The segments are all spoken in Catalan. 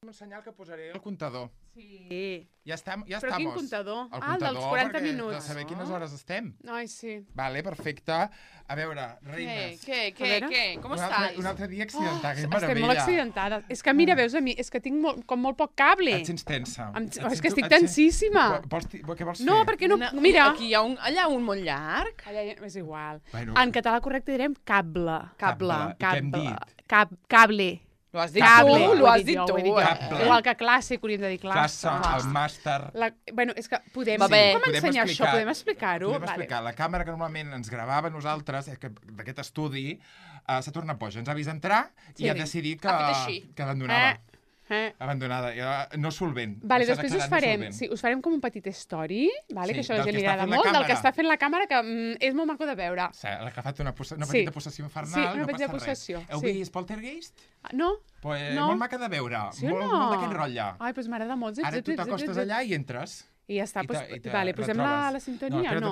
Un senyal que posaré el comptador. Sí. Ja estem. Però quin comptador? El Ah, el dels 40 perquè minuts. de saber quines hores estem. Ai, sí. Vale, perfecte. A veure, reines. Què? Com estàs? Un altre dia accidentat, que Estem meravella. molt accidentades. És que mira, veus a mi, és que tinc com molt poc cable. Et sents tensa. És que estic tensíssima. Què vols fer? No, perquè no... Mira. Aquí hi ha allà un molt llarg. Allà és igual. Bueno. En català correcte direm cable. Cable. I què hem dit? Cable. L'ho has dit Cable. tu, l'ho has dit Ho tu. he dit jo. Cable. Igual que classe, que hauríem de dir Classe, classe. el màster... Bueno, és que podem... Va bé. Com ensenyar això? Podem explicar-ho? Podem explicar. La càmera que normalment ens gravava a nosaltres, d'aquest estudi, s'ha tornat boja. Ens ha vist entrar i ha decidit que abandonava. Abandonada, no solvent. Vale, després us farem com un petit story, vale, que això a la gent li agrada molt, del que està fent la càmera, que és molt maco de veure. Sí, la que ha fet una petita possessió infernal, no passa res. Heu vist Poltergeist? No. Molt maca de veure, molt d'aquest rotlle. Ai, doncs m'agrada molt. Ara tu t'acostes allà i entres. I ja està. Vale, posem la sintonia? No,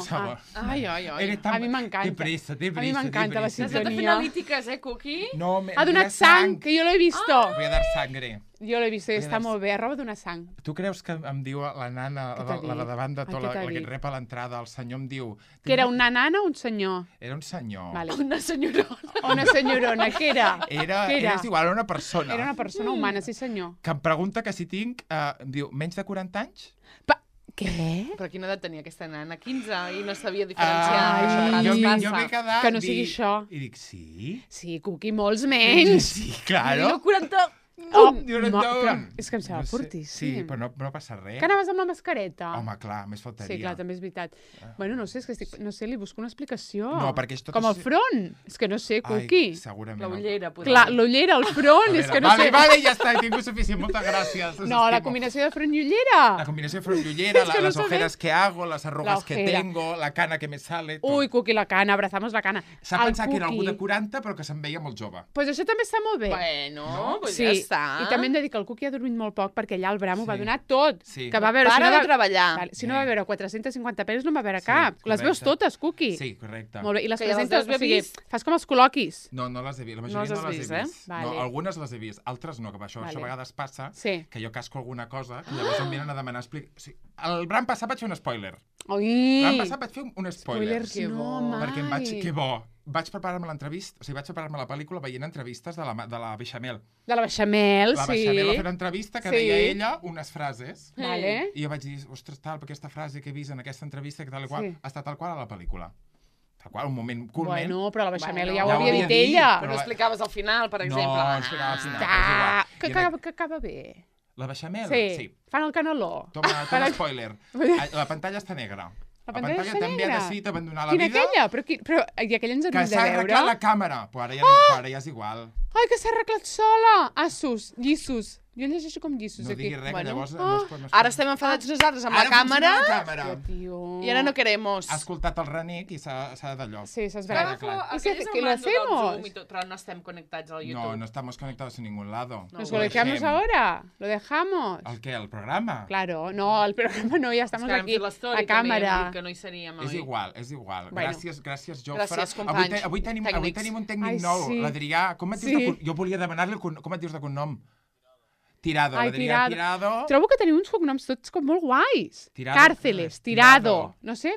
Ai. A mi m'encanta. Té pressa. A mi m'encanta la sintonia. Has de fer analítiques, Cookie? No, ha donat sang, que jo l'he vist. Voy a dar sangre. Jo l'he vist, està molt bé, roba donar sang. Tu creus que em diu la nana, la de davant de tot, la que et rep a l'entrada, el senyor em diu... Que era una nana o un senyor? Era un senyor. Una senyorona. Una senyorona, què era? Era igual, era una persona. Era una persona humana, sí senyor. Que em pregunta que si tinc, em diu, menys de 40 anys? Què? Però quina edat tenia aquesta nana? 15 i no sabia diferenciar. Jo m'he quedat... Que no sigui això. I dic, sí? Sí, Cookie, molts menys. Sí, claro. 40... Però és que em sembla fortíssim. Sí, però no passa res. Que anaves amb la mascareta? Home, clar, més faltaria. Sí, clar, també és veritat. Bueno, no sé, és que no sé, li busco una explicació. No, perquè és tot... Com el front. És que no sé, Cookie. Ai, segurament. L'ullera, potser. Clar, l'ullera, el front, és que no sé. Vale, ja està, he tingut suficient, moltes gràcies. No, la combinació de front i ullera. La combinació de front i ullera, las ojeras que hago, las arrugas que tengo, la cana que me sale... Ui, Cookie, la cana, abrazamos la cana. S'ha pensat que era algú de 40, però que se'm veia molt jove. Pues això també està molt bé. Bueno, pues ja està. I també hem de dir que el Cookie ha dormit molt poc perquè allà el Bram ho va donar tot. Sí. Que va veure, Para de treballar. Si no va veure 450 pel·lis, no va veure cap. Les veus totes, Cookie. Sí, correcte. Molt bé. I les Que ja presentes, les has vist? fas com els col·loquis. No les he vist. La majoria no les he vist. Vale. No, algunes les he vist, altres no, que això a vegades passa, que jo casco alguna cosa, que llavors em venen a demanar explicació. El Bram passat vaig fer un spoiler. L'any passat vaig fer un spoiler. Spoilers no, mai. Perquè em vaig... Que bo. Vaig preparar-me l'entrevista, vaig preparar-me la pel·lícula veient entrevistes de la Beixamel. De la Beixamel, La Beixamel va fer una entrevista que deia ella unes frases. Vale. I jo vaig dir, ostres, tal, aquesta frase que he vist en aquesta entrevista, que tal i qual, ha estat tal qual a la pel·lícula. Tal qual, un moment culment. Bueno, però la Beixamel ja ho havia dit ella. Però no explicaves al final, per exemple. No, explicaves al final. Que acaba bé. La Beixamel? Sí. Fan el caneló. Toma spoiler. La pantalla està negra. La pantalla està també negra. ha decidit abandonar la vida. Quina aquella? Però i aquella ens havia de veure? Que s'ha arreglat la càmera. Però ara ja és igual. Ai, que s'ha arreglat sola! Assos, llissos. Jo llegeixo com llissos, aquí. No digui res, que llavors... Ara estem enfadats nosaltres amb la càmera. I ara no queremos. Ha escoltat el Renic i s'ha d'allò. Sí, s'ha esverat. ¿Qué lo hacemos? Pero no estamos conectados al YouTube. No estamos conectados en ningún lado. ¿Nos conectamos ahora? ¿Lo dejamos? ¿El qué? ¿El programa? Claro, no, el programa no, ya estamos aquí a càmera. Que no hi seríem és igual. Gràcies, Jofre. Gràcies, companys. Avui tenim un tècnic nou, l'Adrià. Com et dius jo volia demanar-li com et dius de cognom. Tirado, l'Adrià Tirado. Trobo que teniu uns cognoms tots com molt guais. Càrceles, Tirado. No sé,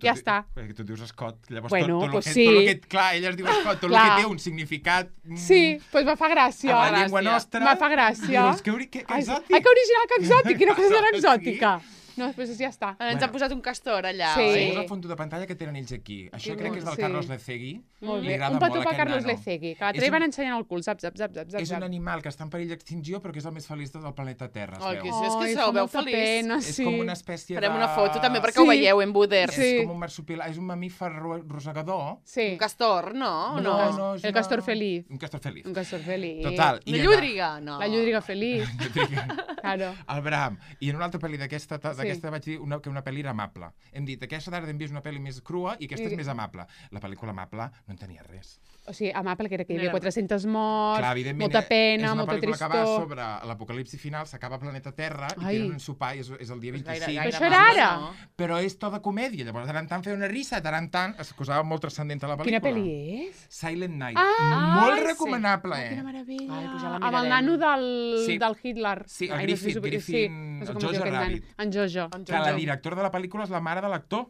ja està. Perquè tu dius Scott. Bueno, pues sí. Clar, ella es diu Scott, tot el que té un significat... Sí, doncs me fa gràcia. A la llengua nostra... Me fa gràcia. Que exòtic. Ai, que original, que exòtic. Quina cosa tan exòtica. No, després ja està. Ens han posat un castor allà, oi? És el fons de pantalla que tenen ells aquí. Això crec que és del Carlos Lecegui. Molt bé. Un petó per Carlos Lecegui, que l'altre van ensenyant el cul, zap. És un animal que està en perill d'extinció, però que és el més feliç del planeta Terra, es veu. És que se el veu feliç. És com una espècie de... Farem una foto també perquè ho veieu en Buder. És com un marsupial, és un mamífer rosegador. Un castor, no? No, el castor feliç. Un castor feliç. Un castor feliç. Total. La llúdriga, no. La llúdriga feliç. Claro. El Bram. I en una altra pel·li d'aquesta vaig dir que una pel·li era amable. Hem dit, aquesta tarda hem vist una pel·li més crua i aquesta és més amable. La pel·lícula amable no en tenia res. O sigui, amable, que era que hi havia 400 morts, molta pena, molta tristor... És una pel·lícula que va sobre l'apocalipsi final, s'acaba el planeta Terra i tenen un sopar i és el dia 25. Però això era ara! Però és tota comèdia. Llavors, de tant en tant feia una risa, de tant en tant es posava molt transcendent a la pel·lícula. Quina pel·li és? Silent Night. Molt recomanable, Quina meravella. Ai, pues ja amb el nano del Hitler. Sí, el Griffin, el Jojo Rabbit. En Jojo. Que la directora de la pel·lícula és la mare de l'actor.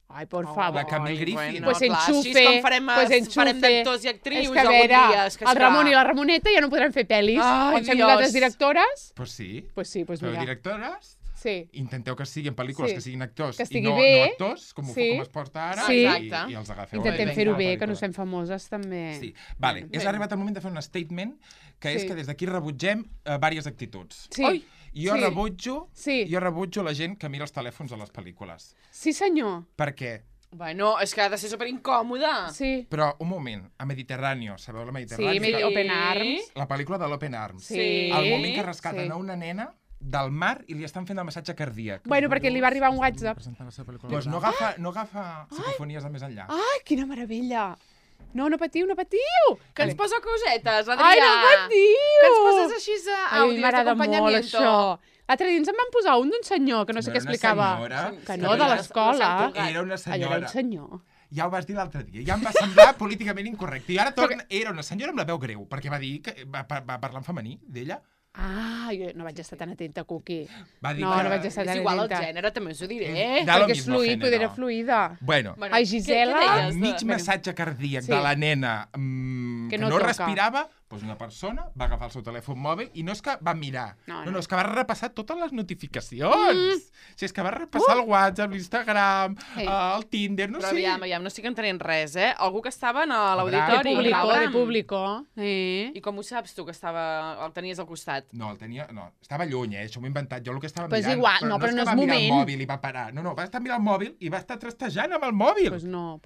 Ai, por favor. La Camille Griffin. Pues enxufe. Pues farem d'actors i actrius algun dia. El Ramon i la Ramoneta ja no podran fer pel·lis. Ai, Quan fem nosaltres directores... Pues sí. Pues però mira. Directores... Sí. Intenteu que siguin pel·lícules que siguin actors i no actors, com es porta ara, i els agafeu. Intentem fer-ho bé, que no fem famoses també. Sí, vale. És arribat el moment de fer un statement, que és que des d'aquí rebutgem diverses actituds. Sí. Jo rebutjo la gent que mira els telèfons a les pel·lícules. Sí, senyor. Per què? Bueno, és que ha de ser superincòmoda. Sí. Però, un moment, a Mediterráneo, sabeu la Mediterráneo? Sí, Open Arms. La pel·lícula de l'Open Arms. Sí. El moment que rescaten a una nena del mar i li estan fent el massatge cardíac. Bueno, perquè li va arribar un WhatsApp. Doncs no agafa psicofonies de més enllà. Ai, quina meravella! No patiu, no patiu! Que ens posa cosetes, Adrià. Ai, no patiu! Que ens poses així àudios m'agrada molt això. L'altre dia ens en van posar un d'un senyor que no sé què explicava. Que no, de l'escola. Era una senyora. Era un senyor. Ja ho vas dir l'altre dia. Ja em va semblar políticament incorrecte. I ara era una senyora amb la veu greu, perquè va dir que va parlar en femení d'ella. Ah, jo no vaig estar tan atenta, Cuqui. No vaig estar tan atenta. És igual el gènere, també us ho diré. Perquè és fluid, era fluida. Bueno, ai, Gisela... Mig massatge cardíac de la nena que no respirava, doncs una persona va agafar el seu telèfon mòbil i no és que va mirar, no, és que va repassar totes les notificacions. És que va repassar el WhatsApp, l'Instagram, el Tinder, no sé. Però aviam, no estic entenent res, Algú que estava a l'auditori. De público. I com ho saps tu, que el tenies al costat? No, estava lluny, això m'ho he inventat. Jo el que estava mirant... Pues igual, però no és moment. No és que va mirar el mòbil i va parar. No, va estar mirant el mòbil i va estar trastejant amb el mòbil. Pues no.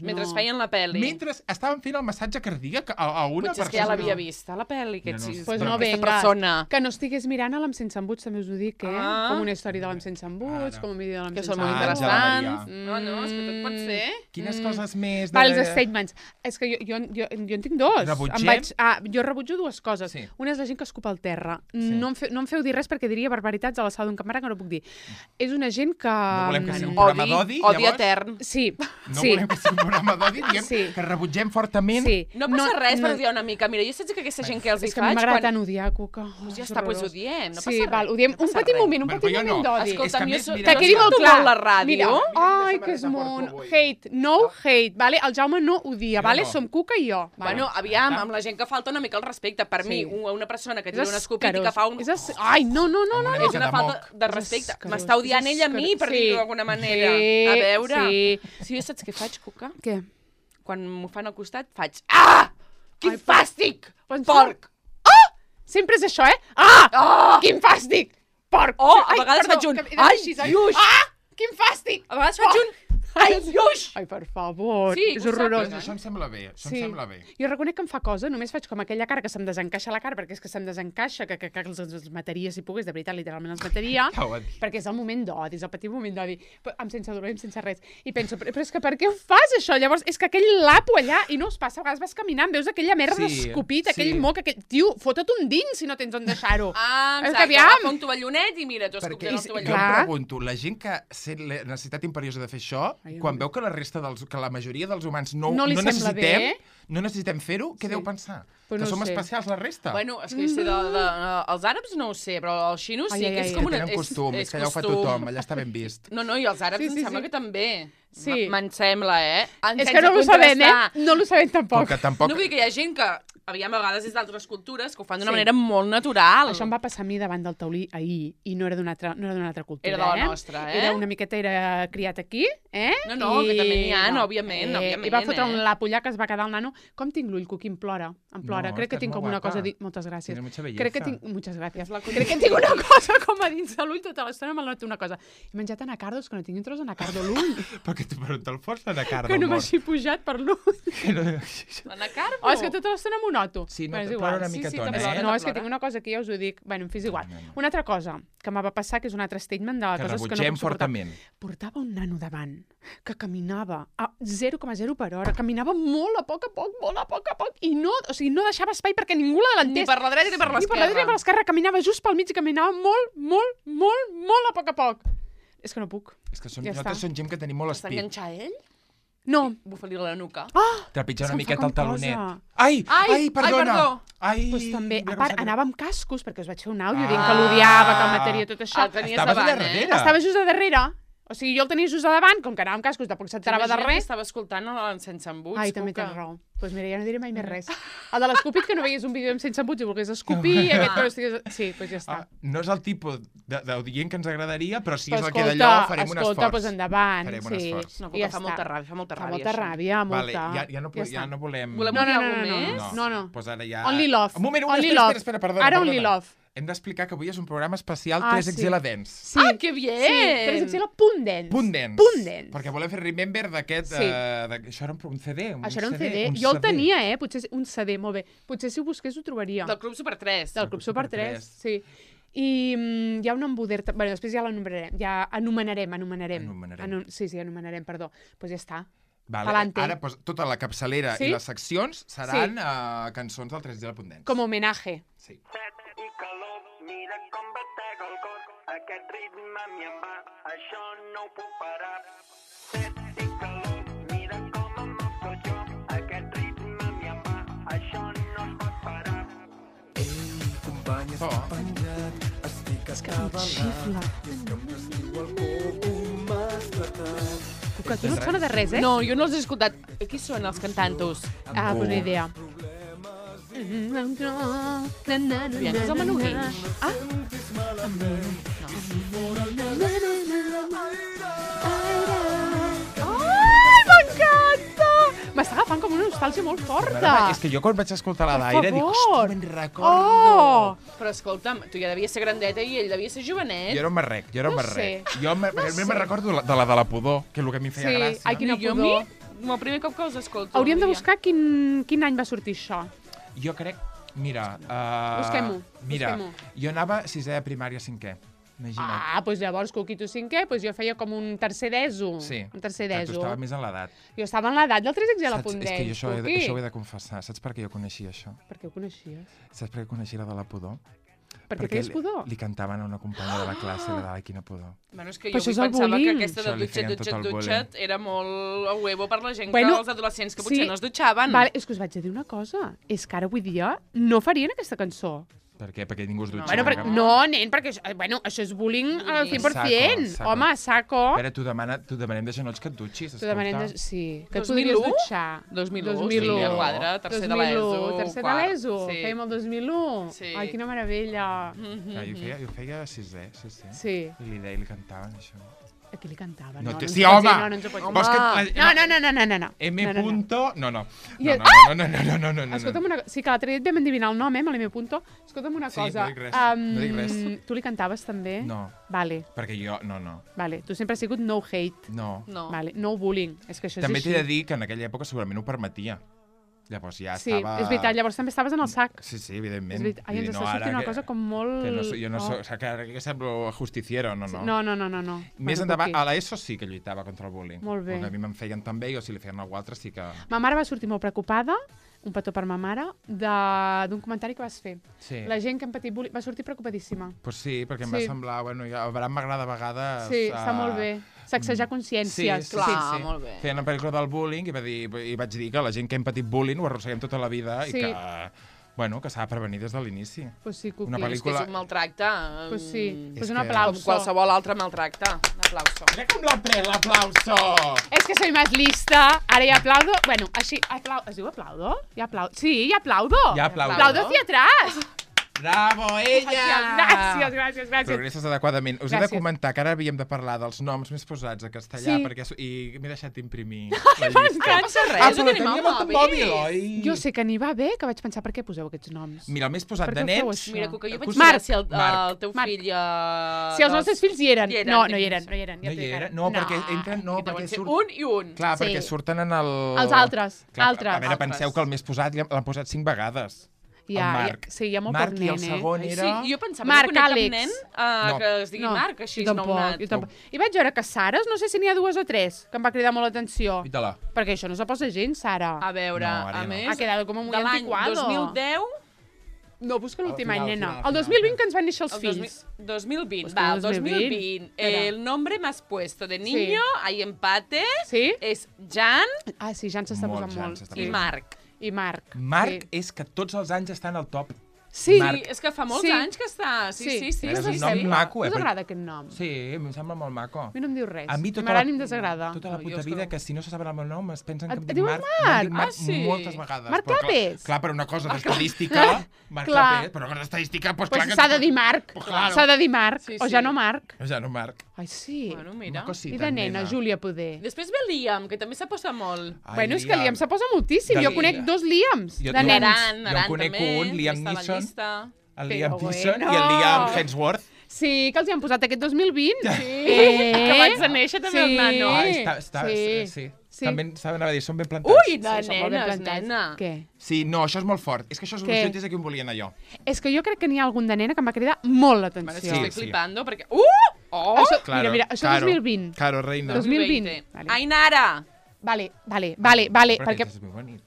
Mentre feien la pel·li. Mentre estaven fent el massatge cardíac a una persona. Potser és que ja l'havia vist, a la pel·li, pues no, venga, que no estigués mirant a l'Amb sense embuts, també us ho dic, Com una història de l'Amb sense embuts, com un vídeo de l'Amb sense embuts. Que són molt interessants. No, és que tot pot ser. Quines coses més... Els statements. És que jo en tinc dos. Rebutgem? Jo rebutjo dues coses. Una és la gent que escupa al terra. No em feu dir res perquè diria barbaritats a la sala d'un camarada que no puc dir. És una gent que... No volem que sigui un programa d'odi, llavors? Odi etern. Sí. No volem que sigui un programa d'odi, diguem que rebutgem fortament. No passa res per odiar una mica. Mira, jo saps que aquesta gent que els hi faig... És que m'agrada tant odiar, Cuca. Ja està, doncs odiem, no passa res. Sí, val, odiem un petit moment d'odi. Escolta'm, que quedi molt clar. La ràdio. Ai, que és molt... Hate, no hate, vale? El Jaume no odia, vale? Som Cuca i jo. Bueno, aviam, amb la gent que falta una mica el respecte. Per mi, una persona que tira un escopit i que fa un... Ai, no. És una falta de respecte. M'està odiant ella a mi, per dir-ho d'alguna manera. A veure. Si jo saps què faig, Cuca? Què? Quan m'ho fan al costat, faig... Ah! Quin fàstic! Porc! Sempre és això, Quin fàstic! Porc! A vegades faig un... Ai, lluix! Quin fàstic! A vegades faig un... Ai, lluix! Ai, per favor, sí, és horrorós. Això em sembla bé, Jo reconec que em fa cosa, només faig com aquella cara que se'm desencaixa la cara, perquè és que se'm desencaixa, que els mataria si pogués, de veritat, literalment els mataria, perquè és el moment d'odi, és el petit moment d'odi, amb sense dolor i sense res. I penso, però és que per què ho fas, això? Llavors, és que aquell lapo allà, i no us passa, a vegades vas caminant, veus aquella merda escopit, aquell moc, tio, fota't un dins si no tens on deixar-ho. Exacte, agafa un tovallonet i mira, tu escopint el tovallonet. Jo em pregunto, la gent que sent la necessitat imperiosa de fer això, quan veu que la majoria dels humans no necessitem fer-ho, què deu pensar? Que som especials la resta? Bueno, és que els àrabs no ho sé, però els xinos sí que és com una... Que tenen costum, és que allà ho fa tothom, allà està ben vist. No, i els àrabs em sembla que també. Me'n sembla, És que no ho sabem, no ho sabem tampoc. No vull dir que hi ha gent que, aviam, a vegades és d'altres cultures, que ho fan d'una manera molt natural. Això em va passar a mi davant del taulí ahir, i no era d'una altra cultura, Era de la nostra, Era una miqueta, era criat aquí, No, que també n'hi ha, òbviament. I va fotre un lapo allà que es va quedar el nano. Com tinc l'ull, Cuqui, em plora. Crec que tinc com una cosa... Moltes gràcies. Crec que tinc... Moltes gràcies. Crec que tinc una cosa com a dins de l'ull tota l'estona, me'l noto una cosa. He menjat anacardos, que no tinc un tros d'anacardo a l'ull. Perquè te'l fos l'anacardo que no m'hagi pujat per l'ull. L'anacardo? És que tota l'estona m'ho noto. Sí, no, plora una micatona, No, és que tinc una cosa que ja us ho dic. Bueno, em fes igual. Una altra cosa que m'ha passar, que és un altre statement de coses que no puc suportar. Portava un nano davant que caminava a 0,0 per hora, caminava molt a poc a poc, i no deixava espai perquè ningú l'adelantés. Ni per la dreta ni per l'esquerra. Ni per la dreta ni per l'esquerra, caminava just pel mig i caminava molt a poc. És que no puc. És que nosaltres som gent que tenim molt espit. S'enganxar ell? No. Bufa-li la nuca. Trepitjar una miqueta el talonet. Ai, perdona! Doncs també, a part, anava amb cascos, perquè us vaig fer un àudio dient que l'odiava, que el mataria tot això. Estaves allà darrere? Estava just a darrere. O sigui, jo el tenia just a davant, com que anava amb cascos, tampoc s'enterava de res. Estava escoltant sense embuts. Ai, també tens raó. Doncs mira, ja no diré mai més res. El de l'escúpid, que no veies un vídeo amb sense embuts i volgués escopir, aquest que no estigués... Sí, doncs ja està. No és el tipus d'audient que ens agradaria, però si és el que d'allò farem un esforç. Escolta, doncs endavant. Farem un esforç. No, fa molta ràbia, fa molta ràbia. Fa molta ràbia, molta. Ja no volem... Volem dir alguna més? No. Doncs ara ja... Only love. Un moment, espera, perdona. Ara only love. Hem d'explicar que avui és un programa especial 3XL Dance. Sí. Ah, que bien! Sí, 3XL punt dance. Punt dance. Punt dance. Perquè volem fer remember d'aquest... Sí. Això era un CD. Això era un CD. Jo el tenia, potser un CD, molt bé. Potser si ho busqués ho trobaria. Del Club Super 3. Del Club Super 3, sí. I hi ha un embuder... Bé, després ja l'anomenarem. Ja anomenarem. Sí, anomenarem, perdó. Doncs ja està. Vale. Ara, tota la capçalera i les seccions seran cançons del 3XL Punt Dance. Com a homenatge. Sí. Mira com batega el cor, aquest ritme a mi em va, això no ho puc parar. Set i calor, mira com em moc tot jo, aquest ritme a mi em va, això no es pot parar. Ei, company, estic penjat, estic escavalat, i és que em desdiu el coco m'has tratat. Que tu no et sona de res, No, jo no els he escoltat. Qui són els cantantos? Bona idea. Aviam, és el Manu Guix. Ai, m'encanta! M'està agafant com una nostàlgia molt forta. És que jo quan vaig escoltar la d'Aire dic, hòstia, me'n recordo. Oh! Però escolta'm, tu ja devies ser grandeta i ell devia ser jovenet. Jo era un marrec. Jo me'n recordo de la pudor, que és el que a mi em feia gràcia. Ai, quina pudor. El primer cop que els escolto. Hauríem de buscar quin any va sortir això. Jo crec... Mira... Busquem-ho. Jo anava a sisè de primària, cinquè. Imagina't. Doncs llavors, Coquito cinquè, jo feia com un tercer d'ESO. Sí. Un tercer d'ESO. Tu estaves més en l'edat. Jo estava en l'edat del 3XL Punt Dance. És que jo això ho he de confessar. Saps per què jo coneixia això? Per què ho coneixies? Saps per què coneixia la de la pudor? Perquè feies pudor? Li cantaven a una companya de la classe i ai, quina pudor. Bueno, és que jo pensava que aquesta de dutxet era molt a huevo per la gent, els adolescents que potser no es dutxaven. Vale, és que us vaig a dir una cosa. És que ara avui dia no farien aquesta cançó. Per què? Perquè ningú es dutxa. No, nen, perquè això és bullying al 100%. Home, saco. Espera, t'ho demanem de genolls que et dutxis, escolta. Sí, que et podries dutxar. 2001, sí, a quadre, tercer de l'ESO. Tercer de l'ESO, fèiem el 2001. Ai, quina meravella. Jo feia sisè. Sí. I li cantaven això. A qui li cantava? Sí, home! No ens ho pots dir. No. M. Punto... No. Escolta'm una cosa. Sí que l'altre dia et vam endevinar el nom, amb l'M. Punto. Escolta'm una cosa. No dic res. Tu li cantaves també? No. Vale. Perquè jo... No. Vale. Tu sempre has sigut no hate. No. Vale. No bullying. És que això és també així. També t'he de dir que en aquella època segurament ho permetia. Llavors ja estava... Sí, és veritat, llavors també estaves en el sac. Sí, evidentment. Ai, ens està sortint una cosa com molt... Jo no soc... O sigui, que ara que semblo justiciero, no. No. Més endavant, a l'ESO sí que lluitava contra el bullying. Molt bé. A mi me'n feien també i si li feien a algú altre sí que... Ma mare va sortir molt preocupada, un petó per ma mare, d'un comentari que vas fer. Sí. La gent que han patit bullying va sortir preocupadíssima. Pues sí, perquè em va semblar... Bueno, a Bram m'agrada a vegades... Sí, està molt bé. Sacsejar consciències. Sí, molt bé. Feien la pel·lícula del bullying i vaig dir que la gent que hem patit bullying ho arrosseguem tota la vida i que... Bueno, que s'ha de prevenir des de l'inici. Pues sí, una pel·lícula... És que és un maltracte. Pues sí, pues un aplauso. Com qualsevol altre maltracte. Un aplauso. Mira com l'ha pres, l'aplauso! És que soy más lista. Ara hi aplaudo. Bueno, així... Es diu aplaudo? Sí, hi aplaudo. Aplaudo hacia atrás. Bravo, ella! Gràcies. Progresses adequadament. Us he de comentar que ara havíem de parlar dels noms més posats a castellà i m'he deixat d'imprimir la llista. Però teníem el mòbil, oi? Jo sé que n'hi va bé, que vaig pensar per què poseu aquests noms. Mira, el més posat de nens... Mira, que jo vaig mirar si el teu fill... Si els nostres fills hi eren. No hi eren. No, perquè entren... Un i un. Clar, perquè surten en el... Els altres. A veure, penseu que el més posat l'han posat 5 vegades. El Marc. Sí, hi ha molt poc nen, i el segon era... Sí, jo pensava que no conec cap nen que es digui Marc, així nounat. I vaig veure que Sares, no sé si n'hi ha 2 o 3, que em va cridar molt l'atenció. Pita-la. Perquè això no se posa gens, Sara. A veure, a més... Ha quedat com muy antiquado. De l'any 2010... No, busca l'últim any, nena. El 2020 que ens van néixer els fills. 2020, va, el 2020. El nombre más puesto de niño, hay empate, és Jan... Ah, sí, Jan s'està posant molt. I Marc. Marc és que tots els anys estan al top. Sí, és que fa molts anys que està. Sí. És un nom maco, Us agrada aquest nom? Sí, em sembla molt maco. A mi no em diu res. A mi m'agrada ni em desagrada. Tota la puta vida, que si no se saben el meu nom es pensen que em dic Marc. Marc moltes vegades. Marc Clapés. Clar, per una cosa d'estadística, Marc Clapés, per una cosa d'estadística, doncs clar que... S'ha de dir Marc. S'ha de dir Marc. O ja no Marc. Ai, sí. Bueno, mira. I de nena, Júlia Poder. Després ve Liam, que també s'aposa molt. Bueno, és que Liam s'aposa moltíssim. Jo conec 2 Liams de nens. Jo conec un, Liam Neeson. El Liam Neeson i el Liam Hemsworth. Sí, que els hi han posat aquest 2020. Que vaig de néixer també el nano. Sí. També anava a dir, són ben plantats. Ui, nena. Què? Sí, no, això és molt fort. És que això és un és a qui em volien allò. És que jo crec que n'hi ha algun de nena que em va cridar molt l'atenció. Sí, estic flipando, perquè... Mira, això és 2020. Claro, reina. 2020. Ainara. Vale. Perquè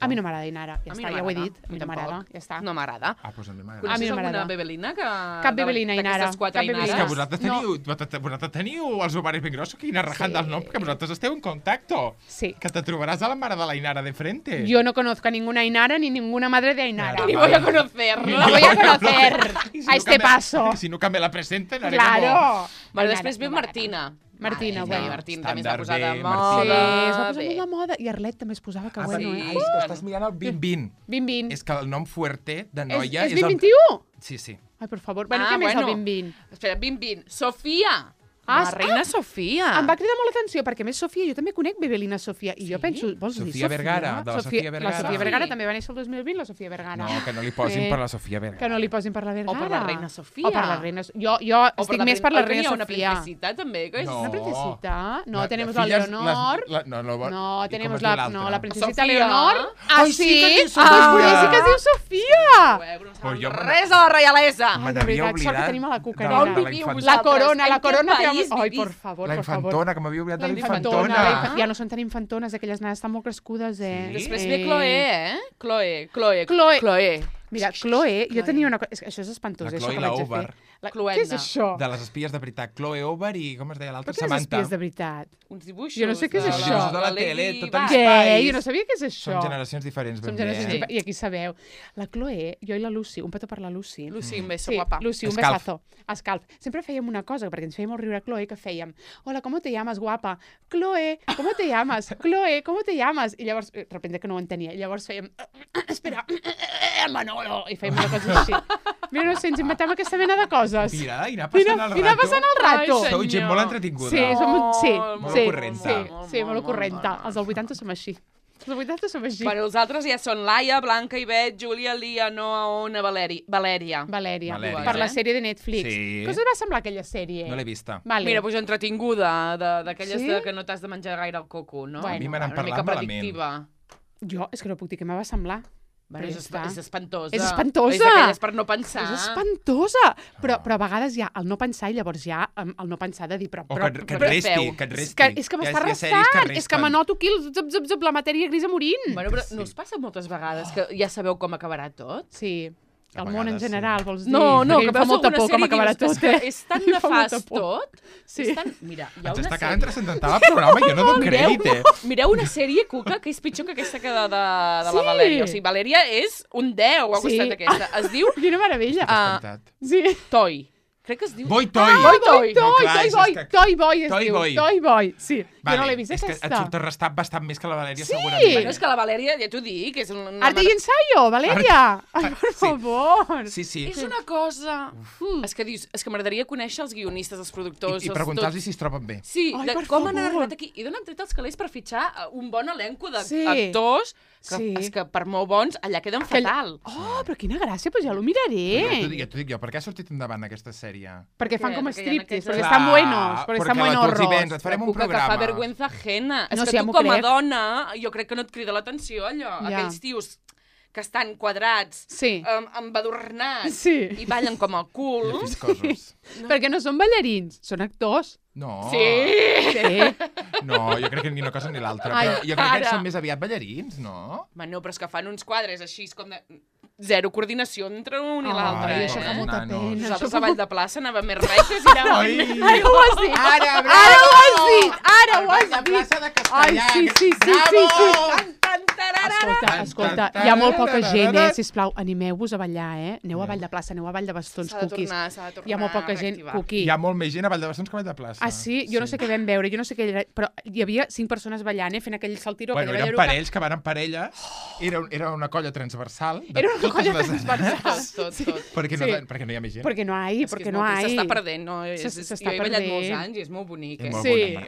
a mi no m'agrada Ainara. Ja està, ja ho he dit. A mi no m'agrada. Ja està. No m'agrada. Doncs a mi m'agrada. Coneixes alguna bebelina que... Cap bebelina, Ainara. D'aquestes 4 Ainares? És que vosaltres teniu els ovaris ben grossos, que Ina rajant del nom, perquè vosaltres esteu en contacto. Sí. Que te trobaràs a la mare de la Ainara de frente. Yo no conozco a ninguna Ainara ni ninguna madre de Ainara. Ni voy a conocerla. La voy a conocer a este paso. Si no que me la presenten, haré Claro. Bueno, després ve Martina. Martina, bueno. Martina també s'ha posat de moda. moda. Sí, es va posar molt de moda. I Arlet també es posava, que bueno, sí. És que estàs mirant el 2020. 2020. És que el nom fuerte de noia és 2021? Sí. Ai, per favor. Bueno, què més el 2020? Espera, 2020. Sofia. La reina Sofia. Em va cridar molt l'atenció, perquè a més Sofia, jo també conec Bebelina Sofia, i jo penso, vols dir Sofia? Vergara, de la Sofia Vergara. La Sofia Vergara també va néixer el 2020, la Sofia Vergara. No, que no li posin per la Sofia Vergara. Que no li posin per la Vergara. O per la reina Sofia. O per la reina... Jo estic més per la reina Sofia. Una princesita, també. Una princesita? No, tenemos la Leonor. No, tenemos la princesita Leonor. Ah, sí? Ah, sí que es diu Sofia. Res a la reialesa. M'havia oblidat. Sort que tenim a la cuca. La corona. Ai, por favor. La infantona, que m'havia oblidat de la infantona. Ja no són tan infantones, aquelles nenes estan molt crescudes, Després ve Chloe, Chloe. Mira, Chloe, jo tenia una cosa... Això és espantós, això que vaig a fer. Què és això? De les espies de veritat. Chloe Over i, com es deia l'altra, Samantha. Què és espies de veritat? Uns dibuixos. Jo no sé què és això. De la tele, tot en Què? espais. Jo no sabia què és això. Som generacions diferents, ben bé. I aquí sabeu. La Chloe, jo i la Lucy, un petó per la Lucy. Lucy, un beso, guapa. Lucy, un besazo. Escalf. Sempre fèiem una cosa, perquè ens feia molt riure a Chloe, que fèiem, hola, ¿cómo te llamas, guapa? Chloe, ¿cómo te llamas? Chloe, ¿cómo te llamas? I llavors, de repente que no ho entenia, i llavors fèiem, espera, Manolo, i fèiem una cosa així. Mira, no sé, ens inventem aquesta mena de coses. Mira, i anar passant el rato. Sou gent molt entretinguda. Molt ocurrenta. Sí, molt ocurrenta. Els del 80 som així. Els 80 som així. Bueno, els altres ja són Laia, Blanca, Ivet, Júlia, Lia, Noa, Ona, Valèria. Per la sèrie de Netflix. Sí. Què us va semblar aquella sèrie? No l'he vista. Mira, doncs entretinguda, d'aquelles que no t'has de menjar gaire el coco, no? A mi me n'han parlat malament. Jo, és que no puc dir què me va semblar. Bueno, és espantosa. És espantosa. És d'aquelles per no pensar. És espantosa. Però a vegades hi ha el no pensar i llavors hi ha el no pensar de dir que et resti. És que m'està restant. És que m'anoto aquí la matèria grisa morint. Bueno, però no us passa moltes vegades que ja sabeu com acabarà tot? Sí. El món en general, vols dir? No, que fa molta por com acabarà tot. És tan nefast tot. Mira, hi ha una sèrie... Ens està quedant transcendental el programa i jo no dono crèdit, Mireu una sèrie, Cuca, que és pitjor que aquesta que de la Valèria. O sigui, Valèria és un 10 al costat d'aquesta. Es diu... Quina meravella. Sí. Toy. Crec que es diu... Toy Boy. Sí, jo no l'he vist aquesta. És que et surt restat bastant més que la Valèria, segurament. Sí, és que la Valèria, ja t'ho dic, és una... Arte i ensayo, Valèria! Ai, per favor! Sí. És una cosa... És que dius, és que m'agradaria conèixer els guionistes, els productors... I preguntar-los si es troben bé. Sí, com han arribat aquí. I d'on han tret els calés per fitxar un bon elenco d'actors que, que per molt bons, allà queden fatal. Oh, però quina gràcia, doncs ja lo miraré. Ja t'ho dic jo, per què ha sortit endavant aquesta sèrie? Perquè fan com striptease, perquè estan buenos, perquè estan buenorros. Et farem un programa. Que fa vergüenza ajena. És que tu com a dona, jo crec que no et crida l'atenció allò. Aquells tios que estan quadrats, embadornats, i ballen com el cul. Perquè no són ballarins, són actors. No. Sí. No, jo crec que ni una cosa ni l'altra. Jo crec que són més aviat ballarins, no? No, però és que fan uns quadres així com zero coordinació entre un i l'altre. Ai, això fa molta pena. Nosaltres a Vall de Plaça anàvem més rectes i anàvem... Ara ho has dit! Ara ho has dit! Ara ho has dit! La plaça de Castellà. Ai, sí. Escolta, hi ha molt poca gent, sisplau, animeu-vos a ballar, Aneu a Vall de Plaça, aneu a Vall de Bastons, Cuquis. S'ha de tornar hi ha molt poca gent, Cuqui. Hi ha molt més gent a Vall de Bastons que a Vall de Plaça. Ah, sí? Jo no sé què vam veure, jo no sé què era, però hi havia 5 persones ballant, fent aquell saltiro. Bueno, eren parells que van en parelles, era una colla transversal. Era una colla transversal. Tot. Perquè no hi ha més gent. Perquè no hi. S'està perdent, no? Jo he ballat molts anys i és molt bonic, És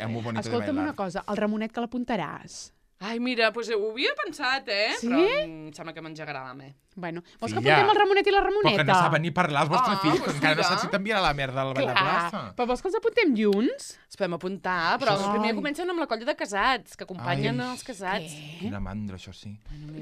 molt bonic. Escolta'm una cosa, el Ramonet que l'apuntaràs. Ai, mira, doncs ho havia pensat, Sí? Però em sembla que m'engegarà la me. Bueno, vols que apuntem el Ramonet i la Ramoneta? Però que no saben ni parlar els vostres fills, que encara no saps si t'enviarà la merda al Vall de Plaça. Però vols que els apuntem junts? Els podem apuntar, però primer comencen amb la colla de casats, que acompanyen els casats. Quina mandra, això sí.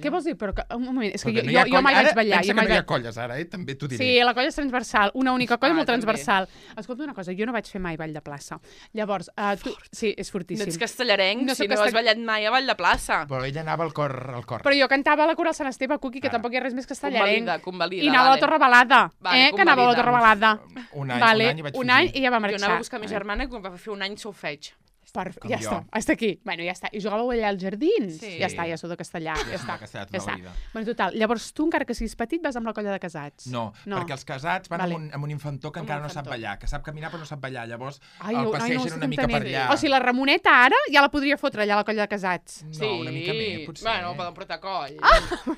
Què vols dir? Però un moment, és que jo mai vaig ballar. Pensa que no hi ha colles ara, també t'ho diré. Sí, la colla és transversal, una única colla molt transversal. Escolta una cosa, jo no vaig fer mai Vall de Plaça. Llavors, tu... Sí, és fortíssim. No ets castellarenc si no has ballat mai a Vall de Plaça. Però ella anava al cor. Però jo cantava a la coral Sant Esteve, Cuqui, que tampoc hi ha res més castellarenc. Convalida, I anava a la Torre Balada, que anava a la Torre Balada. Un any i vaig fer. Un any i ja va marxar. Jo anava a buscar ma germana que va fer un any solfeig. Ja està, hasta aquí. Bueno, ja està. I jugàveu allà als jardins? Sí. Ja està, ja sou de castellà. Ja està. Ja està. Bueno, total, llavors tu, encara que siguis petit, vas amb la colla de casats. No, perquè els casats van amb un infantó que encara no sap ballar, que sap caminar però no sap ballar. Llavors el passegen una mica per allà. O sigui, la Ramoneta ara ja la podria fotre allà a la colla de casats. No, una mica més, potser. Bueno, poden portar coll.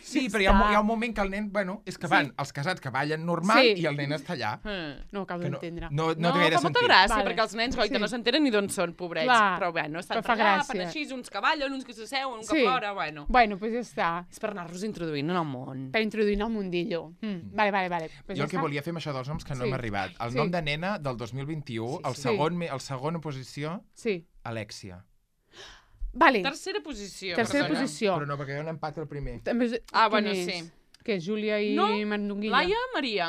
Sí, però hi ha un moment que el nen, bueno, és que van els casats que ballen normal i el nen està allà. No acabo d'entendre. No té gaire sentit. Fa molta gràcia, perquè els nens, goita, no s'entenen ni d'on són, pobrets. Però bueno, estan fa gràcia. Fan així, uns que ballen, uns que s'asseuen, un que plora, bueno. Bueno, doncs ja està. És per anar-los introduint en el món. Per introduir en el mundillo. Vale. Jo el que volia fer amb això dels noms que no hem arribat. El nom de nena del 2021, el segona posició, Alexia. Vale. Tercera posició. Però no, perquè hi ha un empat al primer. Bueno, sí. Que és Júlia i Mandonguilla? Laia Maria.